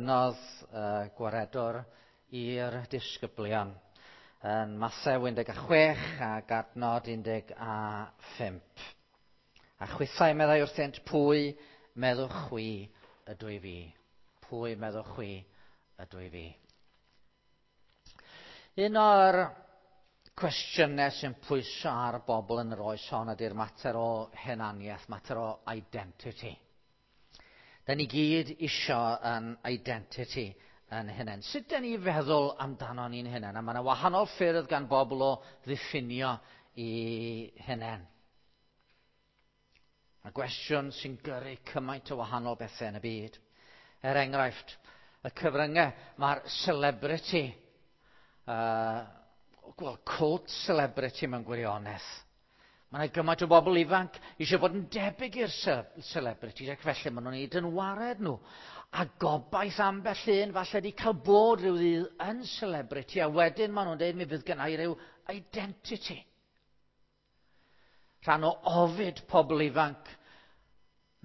Gofynnodd y gwaredwr i'r disgyblion yn Mathew 16 ac adnod 15. A chwithau meddai wrthynt, pwy meddwch chwi ydw i fi? Pwy meddwch chwi ydw i fi? Un o'r cwestiynau sy'n pwyso ar bobl yn yr oes hon ydy'r mater o hunaniaeth, mater o identity. Da ni gyd isio yn identity yn hunain. Sut da ni feddwl amdano ni'n hunain? A mae yna wahanol ffyrdd gan bobl o ddiffinio i hunain. A gwestiwn sy'n gyrru cymaint o wahanol bethau yn y byd. Er enghraifft, y cyfryngau, mae'r celebrity, well, cult celebrity mewn gwirionedd. Mae yna gymaint o bobl ifanc eisiau bod yn debyg i'r celebrities ac felly maen nhw'n ei dynwared nhw. A gobaith ambell un falle di cael bod rhyw ddydd yn celebrity a wedyn maen nhw'n dweud mi fydd gennau rhyw identity. Rhan o ofid pobl ifanc,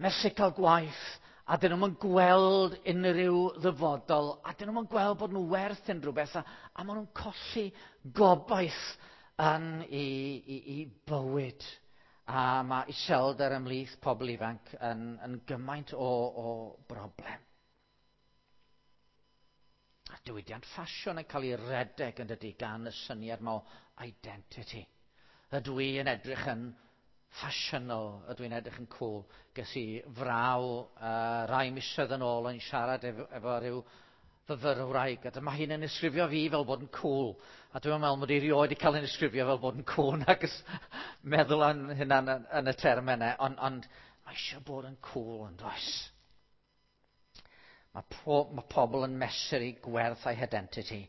methu cael gwaith, a dyn nhw'n gweld unrhyw ddyfodol, a dyn nhw'n gweld bod nhw werth unrhyw beth, a, a maen nhw'n colli gobaith yn i, i, i bywyd. A mae iselder ymhlith pobl ifanc yn, yn gymaint o, o broblem. A diwydiant ffasiwn yn cael ei redeg yn dydy gan y syniad yma o identity. Ydw i yn edrych yn ffasiynol, ydw i'n edrych yn cool. Ges i fraw rai misoedd yn ôl o'n siarad efo, efo rhyw fyfyrwraig, a dyma hi'n yn ysgrifio fi fel bod yn cool. A dwi'n meddwl mod i rioed wedi cael yn ysgrifio fel bod yn cool, nag meddwl am hynna yn, yn y term yna, ond, ond mae eisiau bod yn cool yn does. Mae, po, mae pobl yn mesur eu gwerth a'i identity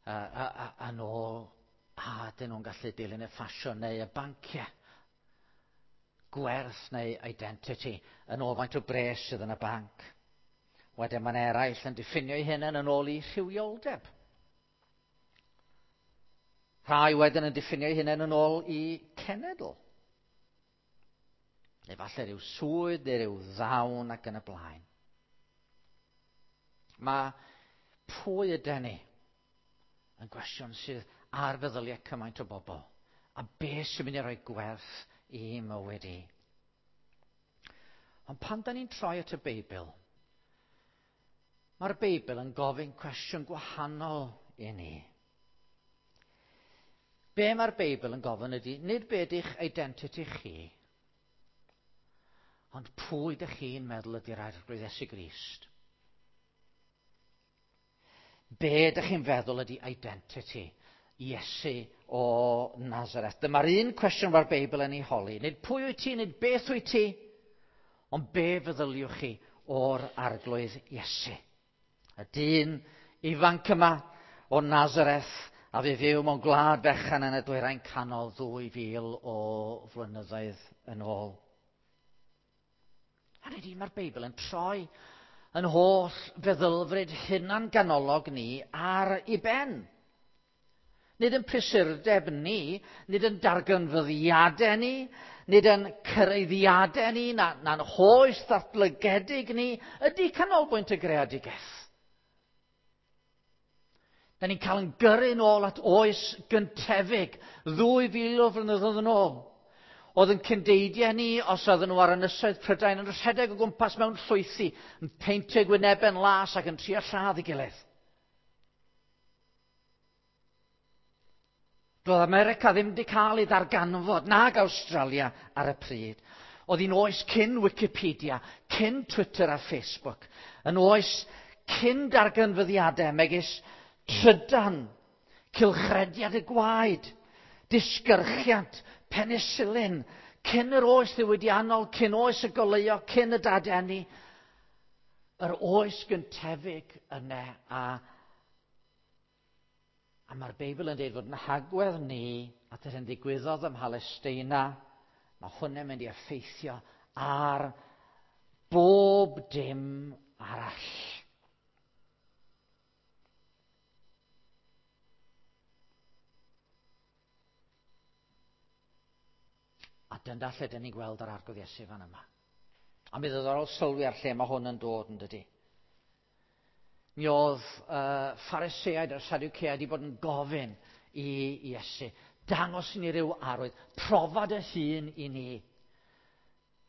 yn ôl a dyn nhw'n gallu dilyn y ffasiwn neu y banciau. Gwerth neu identity yn ôl faint o bres sydd yn y banc. Wedyn mae'n eraill yn diffinio eu hunain yn ôl i rhywioldeb. Rhai wedyn yn diffinio eu hunain yn ôl i cenedl. Neu falle rhyw swydd neu rhyw ddawn ac yn y blaen. Mae pwy ydyn ni yn gwestiwn sydd ar feddyliau cymaint o bobl. A beth sy'n mynd i roi gwerth i mywyd i. Ond pan da ni'n troi at y Beibl, mae'r Beibl yn gofyn cwestiwn gwahanol i ni. Be mae'r Beibl yn gofyn ydy, nid be ydych identity chi, ond pwy ydych chi'n meddwl ydy'r Arglwydd Iesu Grist? Be ydych chi'n feddwl ydy identity Iesu o Nazareth? Dyma'r un cwestiwn mae'r Beibl yn ei holi. Nid pwy wyt ti, nid beth wyt ti, ond be feddyliwch chi o'r Arglwydd Iesu? Y dyn ifanc yma o Nazareth a fi fyw mewn gwlad fechan yn y dwyrain canol 2000 o flynyddoedd yn ôl. A nid mae'r Beibl yn troi yn holl feddylfryd hunan ganolog ni ar ei ben. Nid yn prysurdeb ni, nid yn darganfyddiadau ni, nid yn cyraeddiadau ni, na'n na hoes ddatblygedig ni, ydy canolbwynt y greadigaeth. Da ni'n cael yn gyrru nôl at oes gyntefig, 2000 o flynyddoedd yn ôl. Oedd yn cyndeidiau ni, os oedden nhw ar ynysoedd Prydain, yn rhedeg o gwmpas mewn llwythi, yn peintio gwynebau'n las ac yn trio lladd ei gilydd. Doedd America ddim wedi cael ei ddarganfod, nag Awstralia ar y pryd. Oedd hi'n oes cyn Wikipedia, cyn Twitter a Facebook, yn oes cyn darganfyddiadau megis trydan, cylchrediad y gwaed, disgyrchiant, penicillin, cyn yr oes ddiwydiannol, cyn oes y goleuo, cyn y dadeni, yr oes gyntefig yna a, a mae'r Beibl yn dweud fod yn hagwedd ni at yr hyn ddigwyddodd ym Mhalesteina, mae hwnna'n mynd i effeithio ar bob dim arall. A dyna lle dyn ni'n gweld yr Arglwydd Iesu fan yma. A mi ddiddorol sylwi ar lle mae hwn yn dod yn dydy. Mi oedd Phariseaid a'r Sadwceaid wedi bod yn gofyn i Iesu, dangos i ni ryw arwydd, profa dy hun i ni.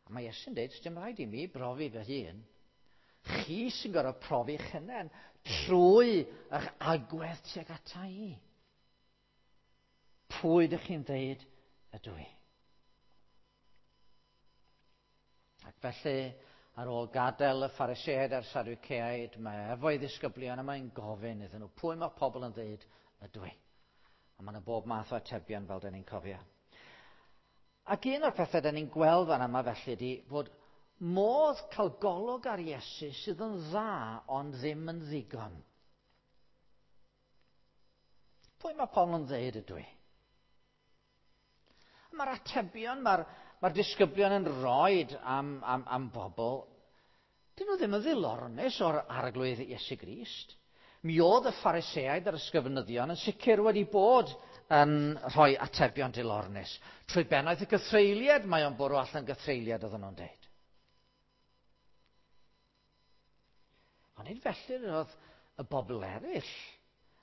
A mae Iesu'n dweud, dim rhaid i mi brofi fy hun. Chi sy'n gorfod profi'ch hunain trwy eich agwedd tuag ata i. Pwy ydych chi'n dweud ydw i? Ac felly, ar ôl gadael y Phariseaid a'r Sadwceaid, mae efo'i ddisgyblion a mae'n gofyn iddyn nhw, pwy mae pobl yn dweud ydw i? A mae yna bob math o atebion fel dyn ni'n cofio. Ac un o'r pethau dyn ni'n gweld fan yma felly ydy fod modd cael golwg ar Iesu sydd yn dda ond ddim yn ddigon. Pwy mae pobl yn dweud ydw i? Mae'r atebion mae'r mae disgyblion yn rhoi am, am, am bobl, dyn nhw ddim yn ddilornus o'r arglwydd Iesu Grist. Mi oedd y Phariseaid a'r ysgrifenyddion yn sicr wedi bod yn rhoi atebion dilornus. Trwy bennaeth y gythreuliad, mae o'n bwrw allan gythreuliad oedden nhw'n deud. Ond nid felly oedd y bobl eraill.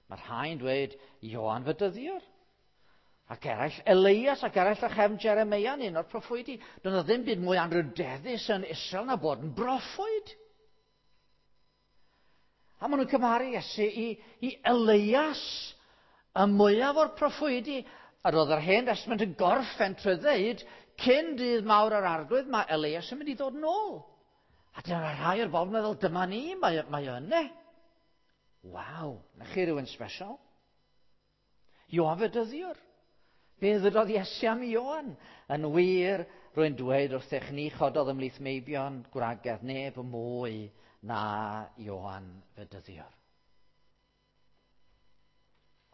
Mae rhai'n dweud Ioan Fedyddiwr. Ac eraill Elias ac eraill a chefn Jeremia yn un o'r proffwydi. Doedd 'na ddim byd mwy anrhydeddus yn Israel na bod yn broffwyd. A maen nhw'n cymharu Iesu i, i Elias, y mwyaf o'r proffwydi. A roedd yr Hen Testament yn gorffen trwy ddeud, cyn dydd mawr yr arglwydd, mae Elias yn mynd i ddod nôl. A dyna rhai o'r bobl yn meddwl, dyma ni, mae, mae o yna. Waw, na chi rhywun special. Ioan Fedyddiwr. Be ddydodd Iesu am Ioan? Yn wir, rwy'n dweud wrthych ni chododd ymhlith meibion gwragedd neb mwy na Ioan Fedyddiwr.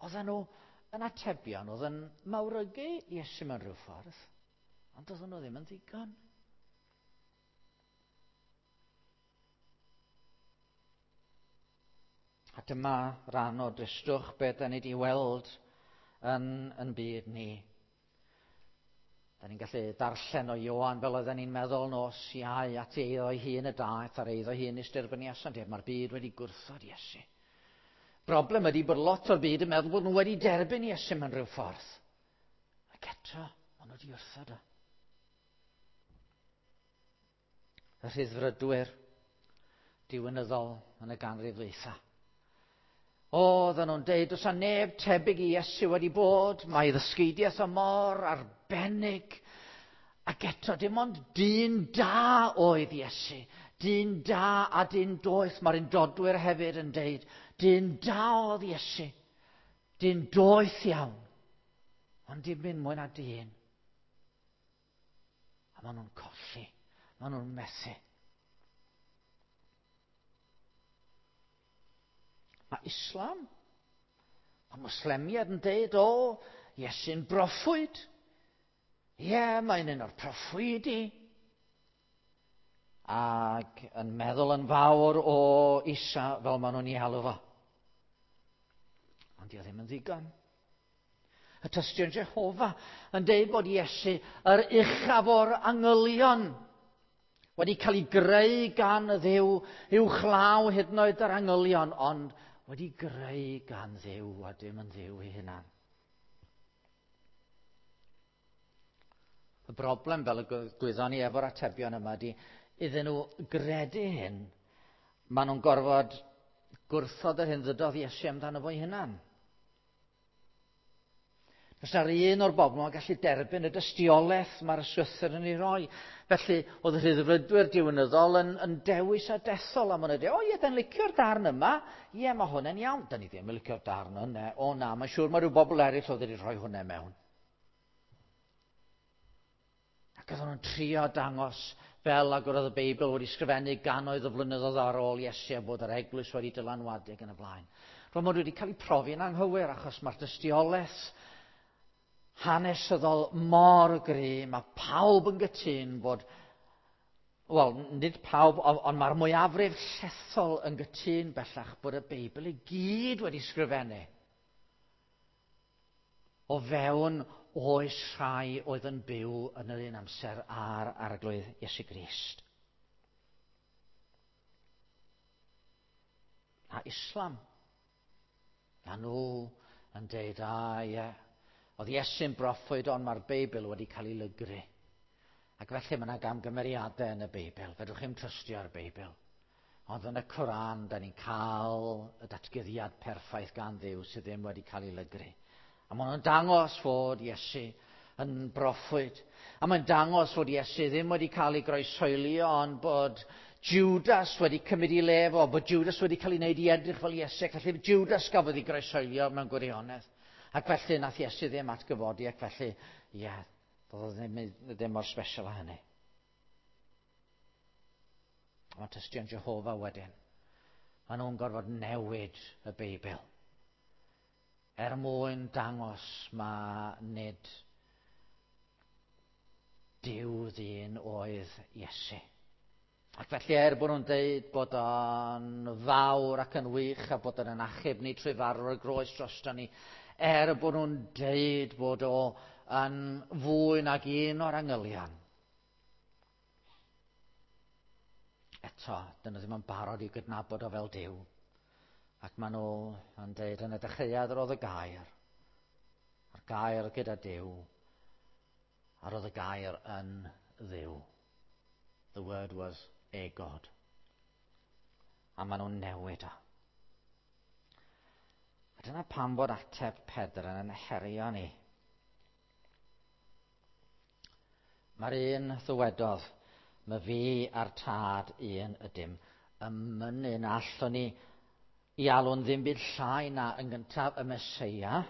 Oedden nhw yn atebion, oedd yn mawrygu Iesu mewn rhyw ffordd, ond oedden nhw ddim yn ddigon. A dyma ran o dristwch beth da ni wedi weld yn, yn byd ni. Da ni'n gallu darllen o Ioan fel oedden ni'n meddwl nos iau at eiddo ei hun y daeth ar eiddo hun i styrbeniasant. Mae'r byd wedi gwrthod Iesu. Broblem ydy bod lot o'r byd yn meddwl bod nhw wedi derbyn Iesu mewn rhyw ffordd. Ac eto, maen nhw wedi wrthod o. Y rhyddfrydwyr diwinyddol yn y ganrif ddwytha. Oedden nhw'n deud, does 'na neb tebyg i Iesu wedi bod, mae ddysgeidiaeth o mor arbennig. Ac eto, dim ond dyn da oedd Iesu. Dyn da a dyn doeth. Mae'r undodwyr hefyd yn deud, dyn da oedd Iesu. Dyn doeth iawn. Ond dim byd mwy na dyn. A maen nhw'n colli. Maen nhw'n methu. Mae Islam, mae Moslemiad yn deud, o, Iesu'n broffwyd. Ie, yeah, mae'n un o'r proffwydi. Ac yn meddwl yn fawr o Isa fel maen nhw'n ei alw fo. Ond di o ddim yn ddigon. Y tystion Jehofa yn deud bod Iesu yr uchaf o'r angylion wedi cael ei greu gan y Dduw uwchlaw hyd yn oed yr angylion, ond wedi greu gan Dduw a dim yn Dduw ei hunan. Y broblem, fel y gwyddon ni efo'r atebion yma, ydy iddyn nhw gredu hyn, maen nhw'n gorfod gwrthod yr hyn ddydodd Iesu amdano fo'i hunan. Does na'r un o'r bobl yn gallu derbyn y dystiolaeth mae'r ysgrythur yn ei roi. Felly, oedd y rhyddfrydwyr diwinyddol yn, yn dewis a dethol am hwnna. O ie, da'n licio'r darn yma. Ie, mae hwnna'n iawn. Da ni ddim yn licio'r darn yna. O na, mae'n siŵr mae rhyw bobl eraill oedd wedi rhoi hwnna mewn. Ac oedden nhw'n trio dangos fel ag oedd y Beibl wedi sgrifennu gannoedd o flynyddoedd ar ôl Iesu a bod yr eglwys wedi dylanwadu ac yn y blaen. Roedd maen nhw wedi cael eu profi'n anghywir achos mae'r dystiolaeth hanesyddol mor gry, mae pawb yn gytûn bod, wel, nid pawb, ond mae'r mwyafrif llethol yn gytûn bellach bod y Beibl i gyd wedi sgrifennu o fewn oes rhai oedd yn byw yn yr un amser â'r Arglwydd Iesu Grist. A A Islam. A nhw yn deud, a ie, oedd Iesu'n broffwyd ond mae'r Beibl wedi cael ei lygru. Ac felly mae yna gamgymeriadau yn y Beibl. Fedrwch chi'm trystio ar y Beibl. Ond yn y Coran, da ni'n cael y datguddiad perffaith gan Dduw sydd ddim wedi cael ei lygru. A maen nhw'n dangos fod Iesu yn broffwyd. A mae'n dangos fod Iesu ddim wedi cael ei groeshoelio, ond bod Judas wedi cymryd ei le fo, bod Judas wedi cael ei wneud i edrych fel Iesu, ac felly Judas gafodd ei groeshoelio mewn gwirionedd. Ac felly nath Iesu ddim atgyfodi, ac felly, ie, yeah, doedd o ddim mor special â hynny. Mae tystion Jehofa wedyn. Maen nhw'n gorfod newid y Beibl. Er mwyn dangos ma nid Duw ddyn oedd Iesu. Ac felly er bod nhw'n deud bod o'n fawr ac yn wych a bod o'n achub ni trwy farw ar y groes drosto ni, er bod nhw'n deud bod o yn fwy nag un o'r angylion, eto, dyn nhw ddim yn barod i gydnabod o fel Duw. Ac maen nhw yn deud yn y dechreuad yr oedd y gair, a'r gair gyda Duw, a roedd y gair yn Dduw. The word was a God. A maen nhw'n newid o. A dyna pam bod ateb Pedr yn herio ni. Mae'r un ddywedodd, mae fi a'r tad un ydym, yn mynnu na allwn ni i alw'n ddim byd llai na yn gyntaf y Meseia,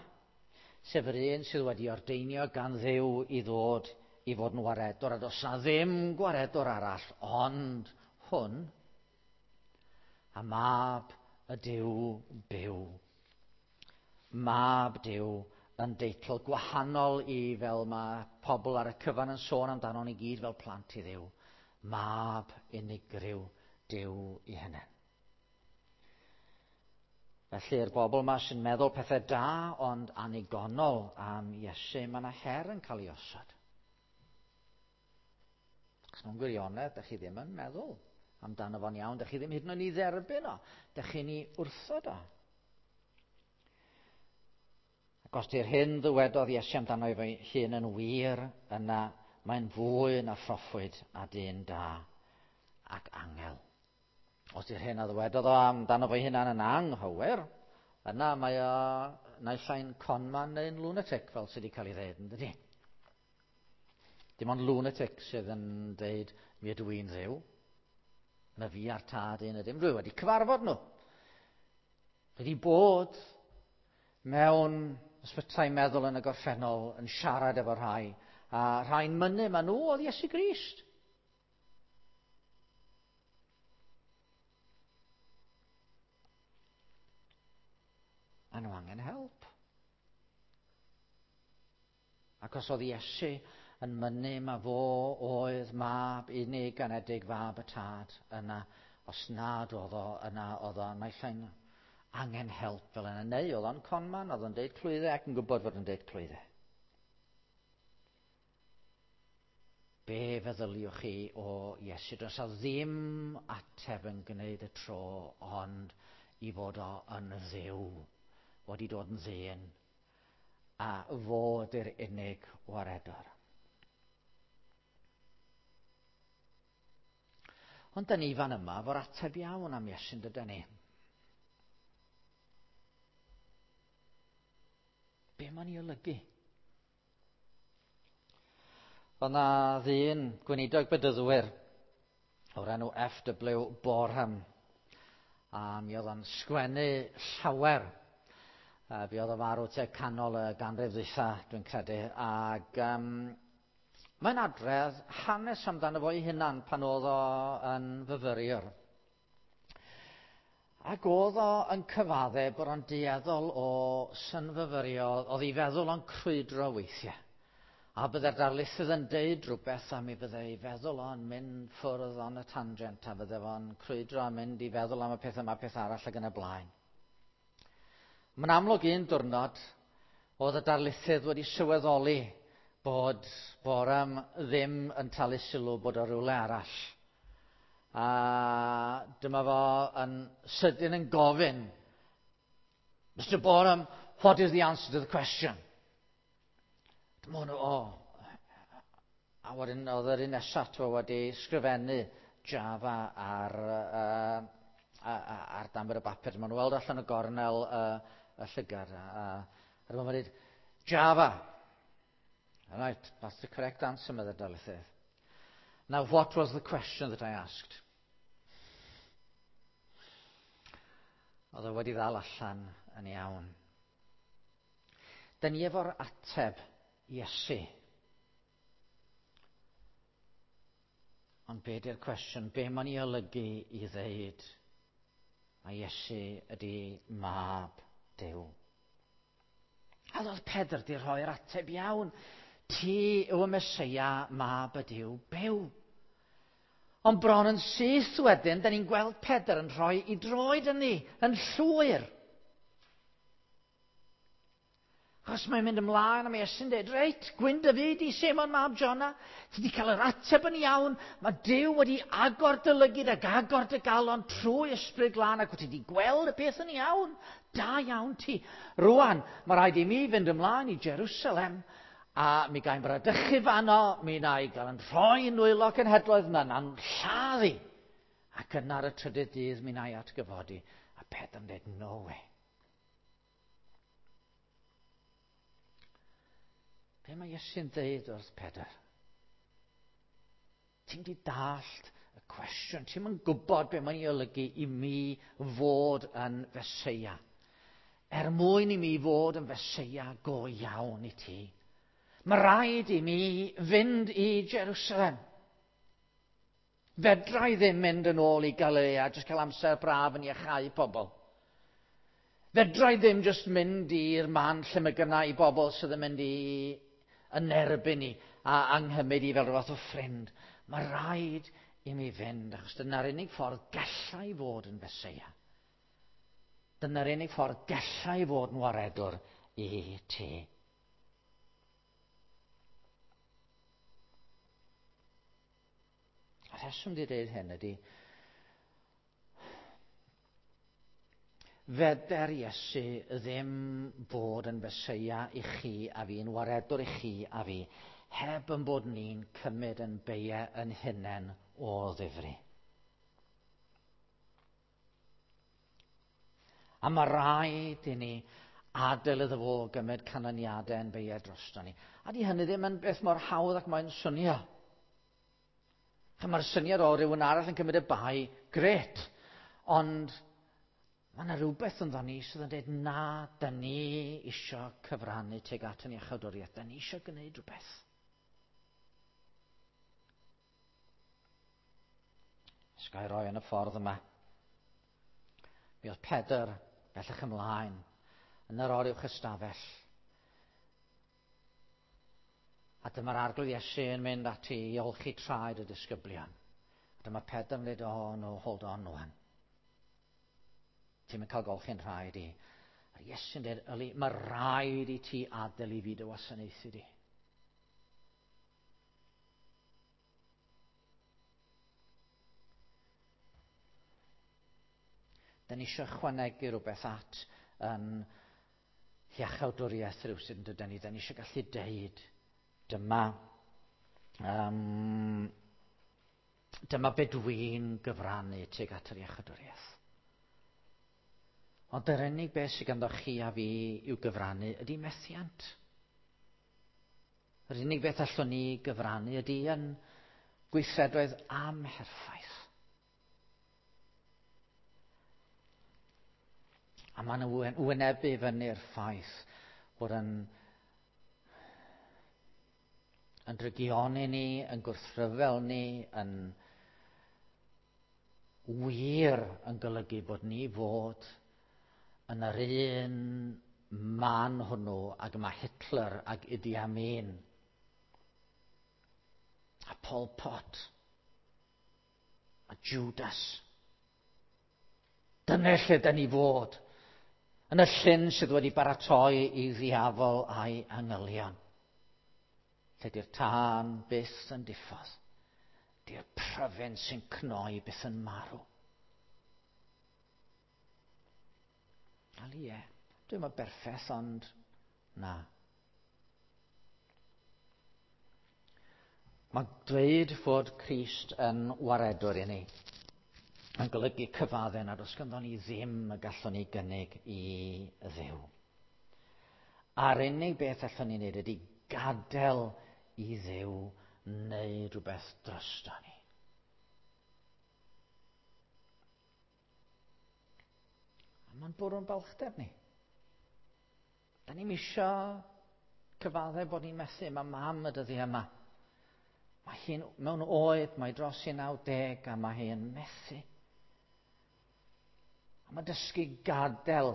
sef yr un sydd wedi ordeinio gan Dduw i ddod i fod yn waredwr, a does na ddim gwaredwr arall ond hwn, a mab y Duw byw. Mab Duw yn deitl gwahanol i fel mae pobl ar y cyfan yn sôn amdano ni gyd fel plant i Dduw. Mab unigryw Duw i hunain. Felly'r bobl yma sy'n meddwl pethau da ond annigonol am Iesu, mae yna her yn cael ei osod. Achos mewn gwirionedd, da chi ddim yn meddwl amdano fo'n iawn, da chi ddim hyd yn oed i dderbyn o, da chi'n ei wrthod o. Ac os di'r hyn ddywedodd Iesu amdano ei hun yn wir, yna mae'n fwy na phroffwyd a dyn da ac angel. Os di'r hyn a ddywedodd o amdano fo'i hunan yn anghywir, yna mae o naill ai'n conman neu'n lunatic, fel sydd wedi cael ei ddeud, yn dydi? Dim ond lunatic sydd yn deud, mi ydw i'n Dduw. Na fi a'r tad un ydym. Dwi wedi cyfarfod nhw. Dwi wedi bod mewn ysbytai meddwl yn y gorffennol yn siarad efo rhai, a rhai'n mynnu ma nhw oedd Iesu Grist. Maen nhw angen help. Ac os oedd Iesu yn mynnu ma fo oedd mab unig anedig fab y tad, yna, os nad oedd o, yna oedd o naill ai'n angen help fel yna, neu oedd o'n conman, oedd o'n deud clwyddau ac yn gwybod fod o'n deud clwyddau. Be feddyliwch chi o Iesu? Does a ddim ateb yn gwneud y tro, ond i fod o yn Dduw, wedi dod yn ddyn, a fod yr unig waredwr. Ond da ni fan yma fo'r ateb iawn am Iesu'n dyda ni. Be mae'n ei olygu? Oedd na ddyn gweinidog bedyddwyr o'r enw F.W. Boreham. A mi oedd o'n sgwennu llawer. Fi oedd o farw tua canol y ganrif ddwytha, dwi'n credu. Ac mae'n adredd hanes amdano fo'i hunan pan oedd o yn fyfyriwr. Ac oedd o yn cyfadde bod o'n dueddol o synfyfyrio, oedd ei feddwl o'n crwydro weithiau. A bydde'r darlithydd yn deud rhywbeth a mi bydde ei feddwl o'n mynd ffwrdd on y tangent a bydde fo'n crwydro a mynd i feddwl am y peth yma, peth arall ac yn y blaen. Mae'n amlwg un diwrnod oedd y darlithydd wedi sylweddoli bod Boreham ddim yn talu sylw bod o rywle arall. A dyma fo yn sydyn yn gofyn, "Mr Borum, what is the answer to the question?" Dyma hwnnw, o. A wedyn oedd yr un nesaf ato wedi sgrifennu Java ar danfod y bapur. Maen nhw'n weld allan y gornel y llygad. A dyma fo'n dweud, "Java." "Right, that's the correct answer," medde'r darlithydd. "Now, what was the question that I asked?" Oedd o wedi ddal allan yn iawn. Dyn ni efo'r ateb, Iesu. Ond be di'r cwestiwn? Be mae'n ei olygu i ddeud a Iesu ydy Mab Duw? A oedd Pedr di rhoi'r ateb iawn. "Ti yw y Meseia, Mab y Duw byw." Ond bron yn syth wedyn, da ni'n gweld Pedr yn rhoi i droed yn ni, yn llwyr. Achos mae'n mynd ymlaen a mae Iesu'n dweud, "Reit, gwyn dy fyd i Seimon mab Jona, ti wedi cael yr ateb yn iawn, mae Duw wedi agor dy lygid ac agor dy galon trwy Ysbryd Glân ac wyt ti wedi gweld y peth yn iawn. Da iawn ti. Rwan, mae rhaid i mi fynd ymlaen i Jerusalem a mi gael bradychu fanno, mi na i gael yn rhoi yn nwylo cenhedloedd yna, na'n lladd i. Ac yna ar y trydydd dydd mi na i atgyfodi." A Pedr yn dweud, "No way." Be mae Iesu'n dweud wrth Pedr? Ti'n di dallt y cwestiwn. Ti'n yn gwybod be mae'n ei olygu i mi fod yn Feseia. Er mwyn i mi fod yn Feseia go iawn i ti, mae rhaid i mi fynd i Jerusalem. Fedra i ddim mynd yn ôl i Galilea, jyst cael amser braf yn iachau pobl. Fedra i ddim jyst mynd i'r man lle mae gynna i bobl sydd yn mynd i yn erbyn i a anghymyd i fel rhywbeth o ffrind. Mae rhaid i mi fynd, achos dyna'r unig ffordd gallai fod yn Feseia. Dyna'r unig ffordd gallai fod yn waredwr i ti. A rheswm di dweud hyn ydy, feder Iesu ddim bod yn Feseia i chi a fi, yn waredwr i chi a fi, heb yn bod ni'n cymryd yn beiau yn hunain o ddifri. A mae rhaid i ni adael iddo fo gymryd canlyniadau yn beiau drosto ni. A di hynny ddim yn beth mor hawdd ac mae'n swnio. Mae'r syniad o rywun arall yn cymryd y bai, gret. Ond mae yna rhywbeth ynddo ni sydd yn dweud na, da ni isio cyfrannu tuag at yn iachawdwriaeth. Da ni isio gwneud rhywbeth. Sgai roi yn y ffordd yma. Mi oedd Pedr bellach ymlaen yn yr oruwch ystafell. A dyma'r Arglwydd Iesu yn mynd ati i olchi traed y disgyblion. A dyma Pedr yn dweud, "Oh no, hold on rwan. Ti'n mynd cael golchi'n rhaid i." A Iesu'n dweud, "Yli, mae rhaid i ti adael i fi dy wasanaethu di." Da ni eisiau chwanegu rhywbeth at yn hiachawdwriaeth rhywsut, yn dydyn ni. Da ni eisiau gallu deud, dyma be dwi'n gyfrannu tuag at yr iachawdwriaeth. Ond yr unig beth sydd ganddo chi a fi i'w gyfrannu ydy methiant. Yr unig beth allwn ni gyfrannu ydy yn gweithredoedd amherffaith. A maen nhw wynebu fyny'r ffaith bod yn drygioni ni, yn gwrthryfel ni, yn wir yn golygu bod ni fod yn yr un man hwnnw ag mae Hitler ag Idi Amin a Pol Pot a Judas. Dyna lle da ni fod. Yn y llyn sydd wedi baratoi i ddiafol a'i angylion. Lle di'r tân byth yn diffodd. Di'r pryfyn sy'n cnoi byth yn marw. Wel ie, dwi'm yn berffeth, ond na. Mae dweud fod Crist yn waredwr i ni yn golygu cyfadde nad oes ganddo ni ddim y gallwn ni gynnig i Dduw. A'r unig beth allwn ni wneud ydy gadael i Dduw wneud rhywbeth drosto ni. A mae'n bwrw'n balchder ni. Da ni'n isio cyfadde bod ni'n methu. Mae mam y dyddiau yma. Mae hi'n mewn oed, mae dros i 90 a mae hi'n methu. A mae dysgu gadael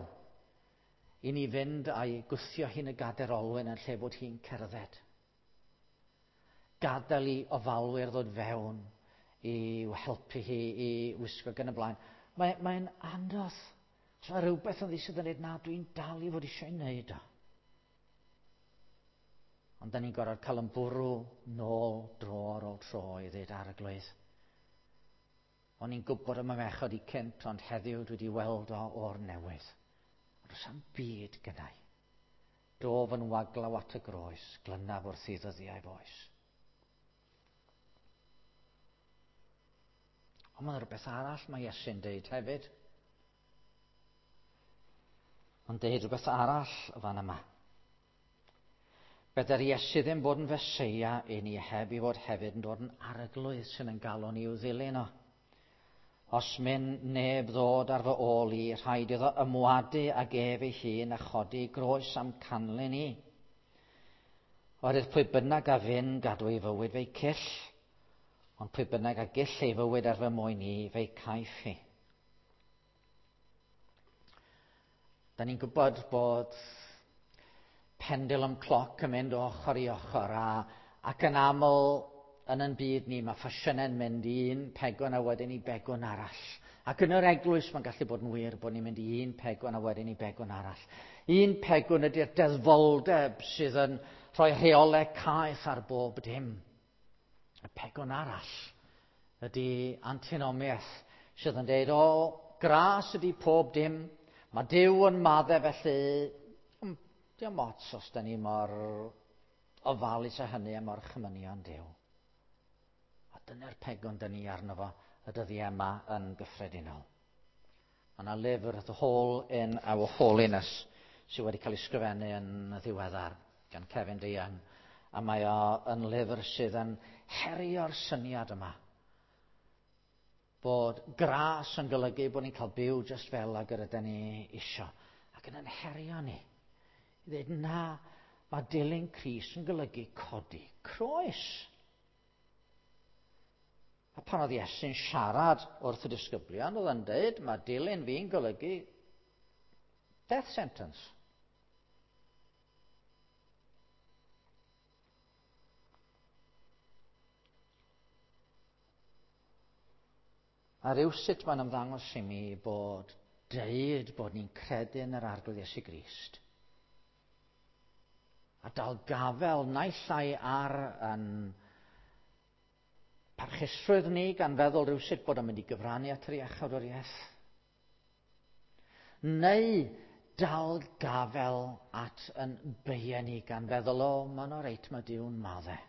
i ni fynd a'i gwthio hi'n y gader olwyn yn lle bod hi'n cerdded. Gadael i ofalwyr ddod fewn i'w helpu hi i wisgo gan y blaen. Mae'n mae anodd. So mae rhywbeth yn sydd yn dweud, na, dwi'n dal i fod eisiau wneud o. Ond da ni'n gorfod cael yn bwrw nôl dro ar ôl tro i ddweud arglwydd. O'n i'n gwybod am y mechod i cynt, ond heddiw dwi wedi weld o o'r newydd. Ond does am byd gynnau. Dof yn waglaw at y groes, glynaf wrth i ddyddiau foes. Ond mae'n rhywbeth arall mae Iesu'n deud hefyd. Mae'n deud rhywbeth arall fan yma. Bedair Iesu ddim bod yn Feseia i ni heb i fod hefyd yn dod yn arglwydd sy'n yn galw ni i'w ddilyn o. Os myn neb ddod ar fy ôl i, rhaid iddo ymwadu ag ef ei hun a chodi groes am canlyn i. Oherwydd pwy bynnag a fyn gadw ei fywyd fe'i cyll, ond pwy bynnag a gyll ei fywyd ar fy mwyn i, fe'i caiff hi. Da ni'n gwybod bod pendulum cloc yn mynd o ochr i ochr a, ac yn aml yn yn byd ni mae ffasiynau'n mynd i un pegwn a wedyn i begwn arall. Ac yn yr eglwys mae'n gallu bod yn wir bod ni'n mynd i un pegwn a wedyn i begwn arall. Un pegwn ydy'r deddfoldeb sydd yn rhoi rheolau caeth ar bob dim. Y pegwn arall ydy antinomiaeth sydd yn dweud, o, gras ydy pob dim, mae Duw yn maddau felly, diolch ots os da ni mor ofalus a hynny a mor chymynion Duw. A dyna'r pegwn da ni arno fo y dyddiau yma yn gyffredinol. Mae yna lyfr, The Hole in Our Holiness, sydd wedi cael ei sgrifennu yn ddiweddar gan Kevin DeYoung. A mae o yn lyfr sydd yn herio'r syniad yma. Bod gras yn golygu bod ni'n cael byw just fel ag yr ydyn ni isio. Ac yn yn herio ni. I ddweud, na, mae dilyn Crist yn golygu codi croes. A pan oedd Iesu'n siarad wrth y disgyblion, oedd yn dweud, mae dilyn fi'n golygu death sentence. A rywsut mae'n ymddangos i mi bod deud bod ni'n credu yn yr Arglwydd Iesu Grist. A dal gafel naill ai ar yn parchusrwydd ni gan feddwl rywsut bod o'n mynd i gyfrannu at yr iachawdwriaeth. Neu dal gafel at yn beia ni gan feddwl, o, mae'n o reit, mae Duw'n maddau.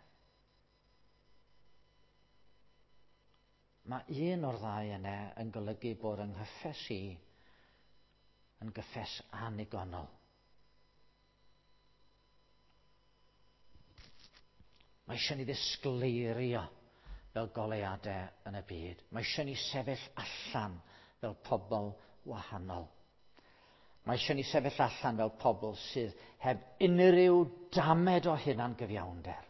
Mae un o'r ddau yna yn golygu bod yng nghyffes i yn gyffes annigonol. Mae eisiau ni ddisgleirio fel goleuadau yn y byd. Mae eisiau ni sefyll allan fel pobl wahanol. Mae eisiau ni sefyll allan fel pobl sydd heb unrhyw damed o hunan gyfiawnder.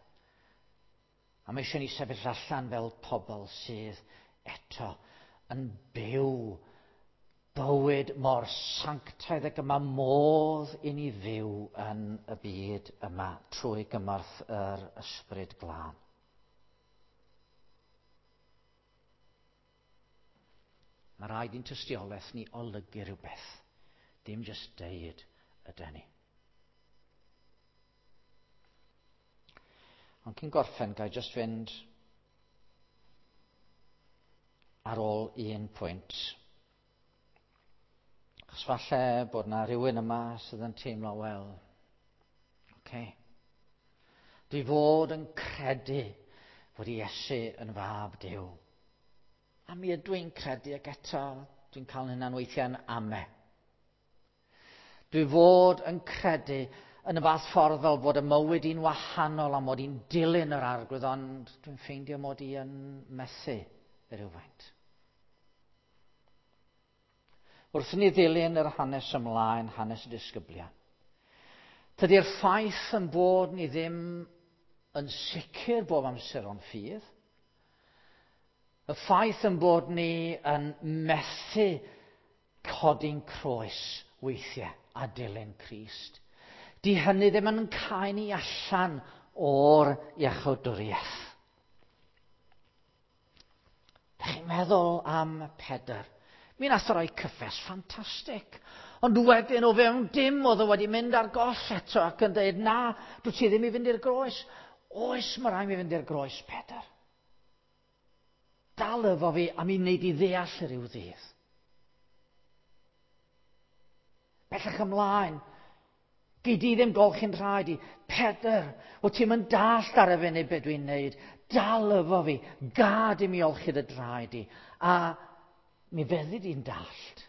A mae eisiau ni sefyll allan fel pobl sydd eto yn byw bywyd mor sanctaidd ag y mae modd i ni fyw yn y byd yma trwy gymorth yr Ysbryd Glân. Mae rhaid i'n tystiolaeth ni olygu rhywbeth. Dim jyst deud ydy ni. Ond cyn gorffen, ga i jyst fynd ar ôl un pwynt. Achos falle bod na rhywun yma sydd yn teimlo, wel, oce. Okay. Dwi fod yn credu fod Iesu yn fab Duw. A mi ydw i'n credu ac eto dwi'n cael hynna'n weithiau'n ame. Dwi fod yn credu yn y fath ffordd fel fod y mywyd i'n wahanol a mod i'n dilyn yr arglwydd, ond dwi'n ffeindio mod i yn methu rhywfaint. Wrth i ni ddilyn yr hanes ymlaen, hanes y disgyblion, tydi'r ffaith yn bod ni ddim yn sicr bob amser o'n ffydd, y ffaith yn bod ni yn methu codi'n croes weithiau a dilyn Crist, di hynny ddim yn cael ni allan o'r iachawdwriaeth. Da chi'n meddwl am Pedr? Mi nath o roi cyffes ffantastig. Ond wedyn o fewn dim oedd o wedi mynd ar goll eto ac yn dweud, na, dwi ti ddim i fynd i'r groes. Oes, mae rhaid mi fynd i'r groes, Pedr. Dal efo fi a mi wneud i ddeall rhyw ddydd. Bellach ymlaen, gei di ddim golchi'n rhaid i. Pedr, o ti'n mynd dallt ar y funud beth dwi'n neud. Dal efo fi, gad i mi olchi dy draed i. A mi feddi di'n dallt.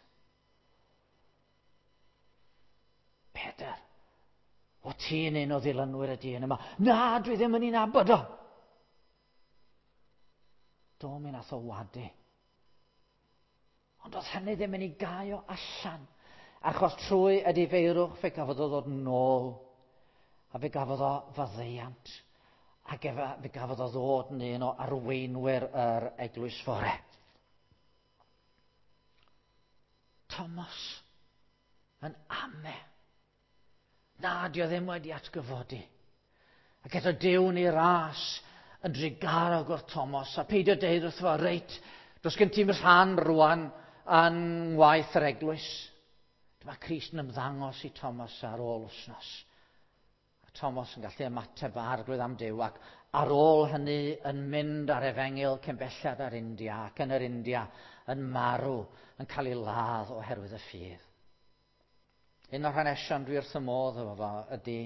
Pedr, o ti'n un o ddilynwyr y dyn yma. Na, dwi ddim yn un abod o. Do, mi nath o wadu. Ond oedd hynny ddim yn ei gau o allan. Achos trwy edifeirwch fe gafodd o ddod nôl. A fe gafodd o faddeuant. Ac efe, fe gafodd o ddod yn un o arweinwyr yr eglwys fore. Thomas yn ame. Na, di o ddim wedi atgyfodi. Ac eto Duw ni ras yn drugarog o'r Thomas, a peidio deud wrtho fo, reit, does gen ti'm rhan rwan yn ngwaith yr eglwys. Dyma Crist yn ymddangos i Thomas ar ôl wythnos. A Thomas yn gallu ymateb arglwydd am Duw, ac ar ôl hynny yn mynd ar efengyl cyn belled ar India, ac yn yr India yn marw, yn cael ei ladd oherwydd y ffydd. Un o'r hanesion dwi wrth y modd efo fo ydy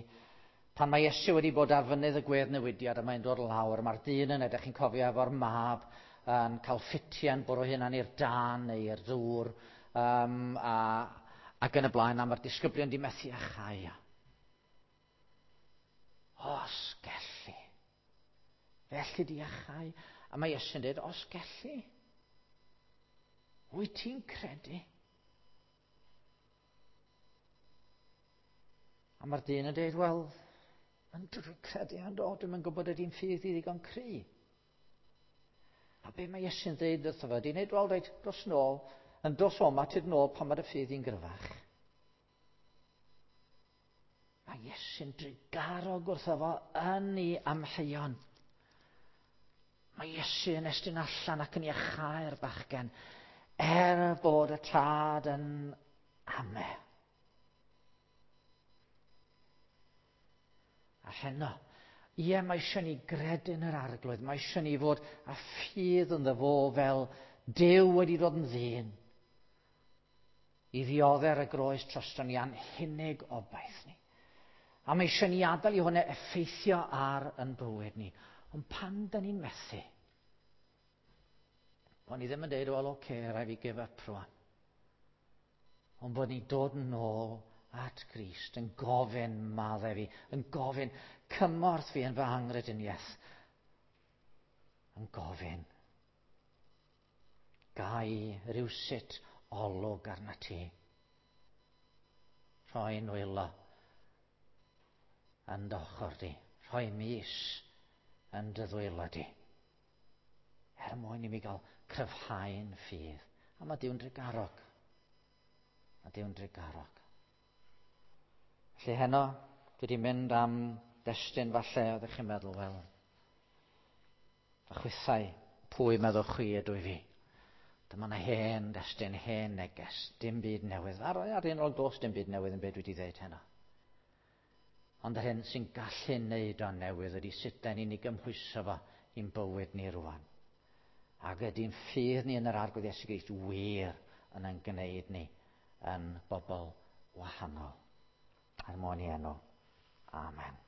pan mae Iesu wedi bod ar fynydd y gwedd newidiad a mae'n dod lawr, mae'r dyn yn edrych, chi'n cofio, efo'r mab yn cael ffitiau'n bwrw hunan i'r dân neu i'r ddŵr, ac yn y blaen, a mae'r disgyblion di methu â chau. Os gelli. Felly di achau. A mae Iesu'n dweud, os gelli. Wyt ti'n credu? A mae'r dyn yn dweud, wel, yn dwi'n credu, ond o, dwi'n gwybod ydy'n ffydd i ddigon cry. A be mae Iesu'n dweud wrtho fe? Di'n dweud, wel, reit, dos nôl, yn dos oma, tyd nôl pan mae'r ffydd i'n gryfach. Mae Iesu'n drugarog wrtho fo yn ei amheuon. Mae Iesu yn estyn allan ac yn iachau'r bachgen, er bod y tad yn ame. A heno, ie, mae eisiau ni gredu yn yr arglwydd, mae eisiau ni fod â ffydd ynddo fo fel Duw wedi dod yn ddyn i ddioddef ar y groes drosto ni a'n hunig obaith ni. A mae eisiau ni adael i hwnna effeithio ar yn bywyd ni. Ond pan da ni'n methu, bod ni ddim yn dweud, wel, oce, okay, rhaid fi give up rwan. Ond bod ni'n dod yn ôl at Grist, yn gofyn maddau fi, yn gofyn cymorth fi yn fy anghrediniaeth, yn gofyn gai rywsut olwg arna ti. Rhoi nwylo yn dy ochr di, rhoi mis yn dy ddwylo di. Er mwyn i mi gael cryfhau'n ffydd. A mae Duw'n drugarog. Mae Duw'n drugarog. Felly heno, dwi wedi mynd am destun falle, oeddech chi'n meddwl, wel, a chwithau, pwy meddwch chwi ydw i fi? Dyma yna hen destun, hen neges, dim byd newydd. Ar, ar un o'r dos, dim byd newydd yn beth dwi wedi dweud heno. Ond yr hyn sy'n gallu neud o'n newydd ydy sut da ni'n ei gymhwyso fo i'n bywyd ni rwan. Ac ydy'n ffydd ni yn yr Arglwydd Iesu Grist wir yn ein gwneud ni yn bobl wahanol. Er mwyn i enw. Amen.